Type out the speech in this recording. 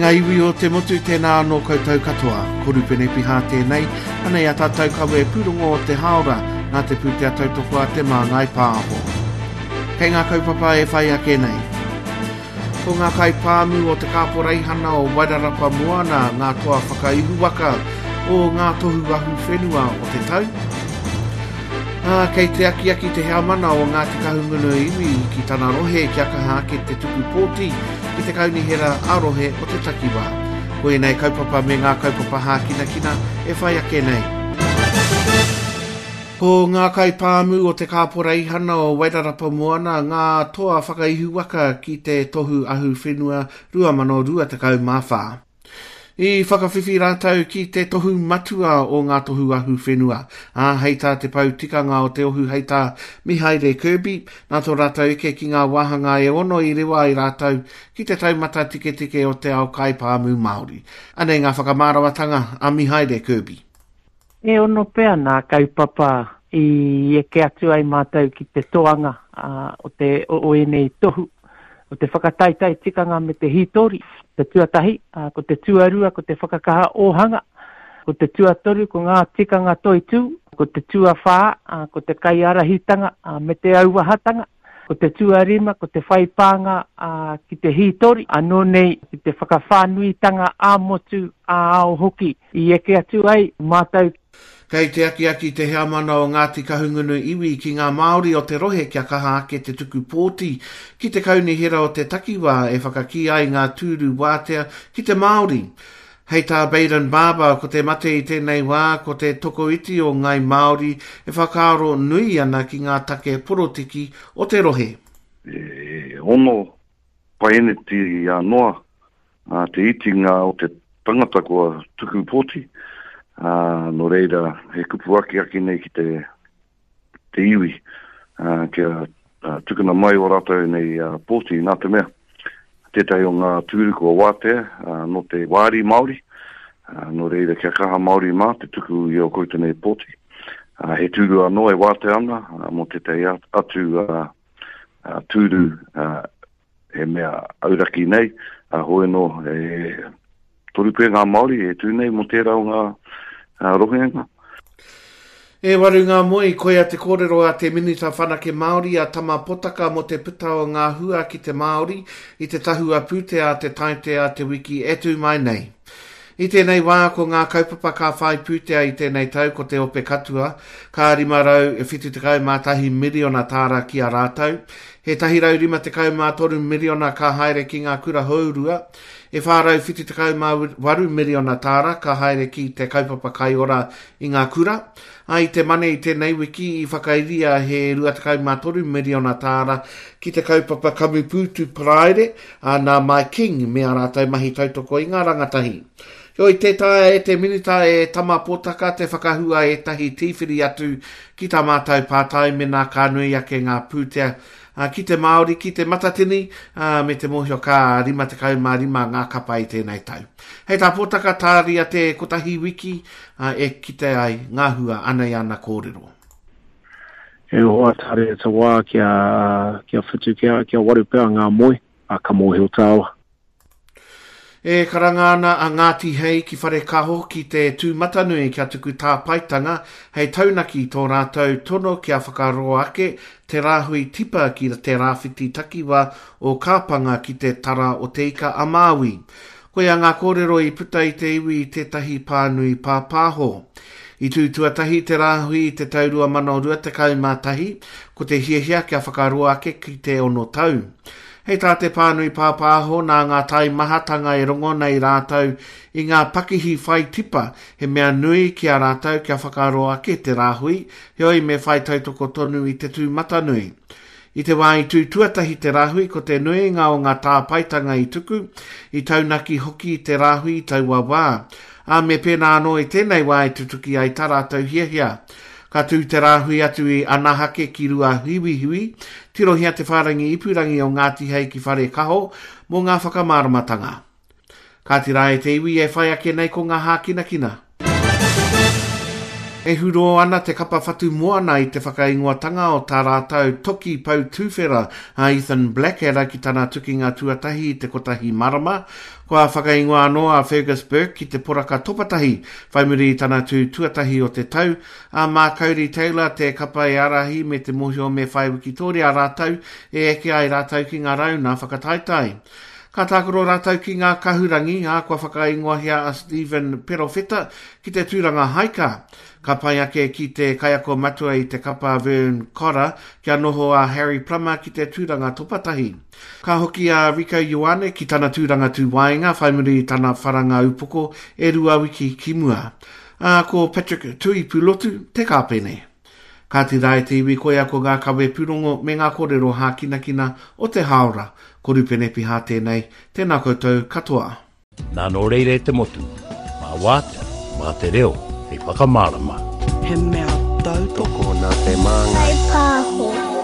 ngā iwi o te motu, tēnā anō koutou katoa. Ko Rupene Piha tēnei, anei a tātou kawe pūrongo o te hāora, nā te pūtea tautoko a Te Māngai Pāho. Kei ngā kaupapa e whai ake nei. Ko ngā kaipāmu o te Kāporeihana o Wairarapa Moana ngā toa whakaihuwaka o ngā tohu ahuwhenua o te tau. Ā, kei te akiaki te heamana o Ngāti Kahungunu iwi ki tana rohe kia kaha ake te tuku pōti ki te kaunihera ā-rohe o te takiwā. Ko ēnei kaupapa me ngā kaupapa hākinakina e whai ake nei. Ko ngā kaipāmu o te Kāporeihana o Wairarapa Moana ngā toa whakaihuwaka ki te Tohu Ahuwhenua 2024. I whakawhiwhi rātou ki te tohu matua o ngā tohu ahuwhenua, ā, hei tā te pou tikanga o te ohu hei tā Mihaere Kirby, nā tō rātou eke ki ngā wāhanga e ono i rewa ai rātou ki te taumata tiketike o te ao kaipāmu Māori. Anei ngā whakamāramatanga a Mihaere Kirby. E ono pea nā kaupapa i eke atu ai mātou ki te toanga o te o ēnei tohu, o te whakataetae tikanga me te hītori, te tuatahi, ko te tuarua ko te whakakaha ōhanga, ko te tuatoru ko ngā tikanga toitū, ko te tuawhā ko te kaiārahitanga me te auahatanga, ko te tuarima ko te whai pānga ki te hītori, anō nei ki te whakawhānuitanga ā-motu, ā-ao hoki i eke atu ai mātou. Kei te akiaki te heamana o Ngāti Kahungunu iwi ki ngā Māori o te rohe kia kaha ake te tuku pōti ki te kaunihera o te takiwā e whakakī ai ngā tūru wātea ki te Māori. Hei tā Bayden Barber, ko te mate i tēnei wā ko te tokoiti o Ngāi Māori e whakaaro nui ana ki ngā take porotiki o te rohe. E ono paeneti a noa te itinga o te tangata kua tuku pōti, ā, nō reira, he kupu akiaki nei ki te, te iwi, ā, kia tukuna mai o rātou nei pōti, nā te mea, tētahi o ngā tūru kua wātea, ā, nō te wāri Māori, ā, nō reira, kia kaha Māori mā te tuku i ō koutou nei pōti. Ā, he tūru anō e wātea ana, ā, mō tētahi atu, ā, tūru, ā, he mea auraki nei, a hoi anō, e toru pea ngā Māori e tū nei mō tērā o ngā rohenga. E waru ngā moe, koia te kōrero a te Minita Whanake Māori a Tama Potaka mō te puta o ngā hua ki te Māori i te tahua pūtea a te Taite a te wiki e tū mai nei. I tēnei wā, ko ngā kaupapa ka whai pūtea i tēnei tau ko te Ope Katua, ka 571 miriona tāra ki a rātou, he 153 miriona ka haere ki ngā kura hourua, e 478 miriona tāra ka haere ki te kaupapa kaiora i ngā kura, ā, i te Mane i tēnei wiki i whakairia he 23 miriona tāra ki te kaupapa kamupūtu paraire, ā, nā Mike King me ā rātou mahi tautoko i ngā rangatahi. Heoi, tē taea e te Minita e Tama Potaka te whakahua ētahi tīwhiri atu ki tā mātou pātai mēnā ka nui ake ngā pūtea ki te Māori, ki te Matatini, ā, me te mōhio ka 55 ngā kapa i tēnei tau. Hei tā Potaka, tāria te kotahi wiki, ā, e kite ai ngā hua, anei ana kōrero. E hoa tare te wā kia, kia whitu, kia, kia waru pea ngā moe, a ka mōhio tāua. E karanga ana a Ngāti Hei ki Wharekaho ki te tūmatanui kia tuku tāpaetanga hei taunaki i tō rātou tono kia whakaroa ake te rāhui tipa ki te rāwhiti takiwā o Kāpanga ki te Tara o Te Ika a Māui. Koia ngā kōrero i puta i te iwi i tētahi pānui pāpāho. I tū tuatahi te rāhui i te tau 2021, ko te hiahia kia whakaroa ake ki te ono tau. Hei tā te pānui pāpāho nā ngā taimahatanga e rongo nei rātou i ngā pakihi whai tipa, he mea nui ki a rātou kia whakaroa ake te rāhui, heoi me whai tautoko tonu i te tūmatanui. I te wā i tū tuatahi te rāhui, ko te nuinga o ngā tāpaetanga i tuku, i taunaki hoki i te rāhui i taua wā. Ā, me pēnā anō i tēnei wā e tutuki ai tā rātou hiahia. Ka tū te rāhui atu i Anahake ki Ruahiwihiwi, tirohia te whārangi ipurangi o Ngāti Hei ki Wharekaho mō ngā whakamāramatanga. Kāti rā e te iwi e whai ake nei ko ngā hākinakina. E hurō ana te kapa whatu moana i te whakaingoatanga o tā rātou toki pou tuwhera a Ethan Blackadder ki tana tukinga tuatahi i te kotahi marama. Kua whakaingoa anō a Fergus Burke ki te poraka topatahi whai muri i tana tū tuatahi o te tau, ā, mā Codie Taylor te kapa e ārahi me te mōhio me whai wikitōria rātou e eke ai rātou ki ngā rauna whakataetae. Ka tākaro rātou ki ngā kahurangi, ā, kua whakaingoahia a Stephen Perofeta ki te tūranga haika. Ka pai ake ki te kaiako matua i te kapa Vern Cotter kia noho a Harry Plummer ki te tūranga topatahi. Ka hoki a Rieko Ioane ki tana tūranga tūwaenga whai muri i tana wharanga upoko e rua wiki ki mua. Ā, ko Patrick Tuipulotu te kāpene. Kāti rā e te iwi koia ko ngā kawe pūrongo me ngā kōrero hākinakina o te hāora. Ko Rupene Piha tēnei, tēnā koutou katoa. Nā nō reira e te motu, mā wātea, mā te reo hei whakamārama. He mea tautoko. Tokona te māngai. Whai pāho.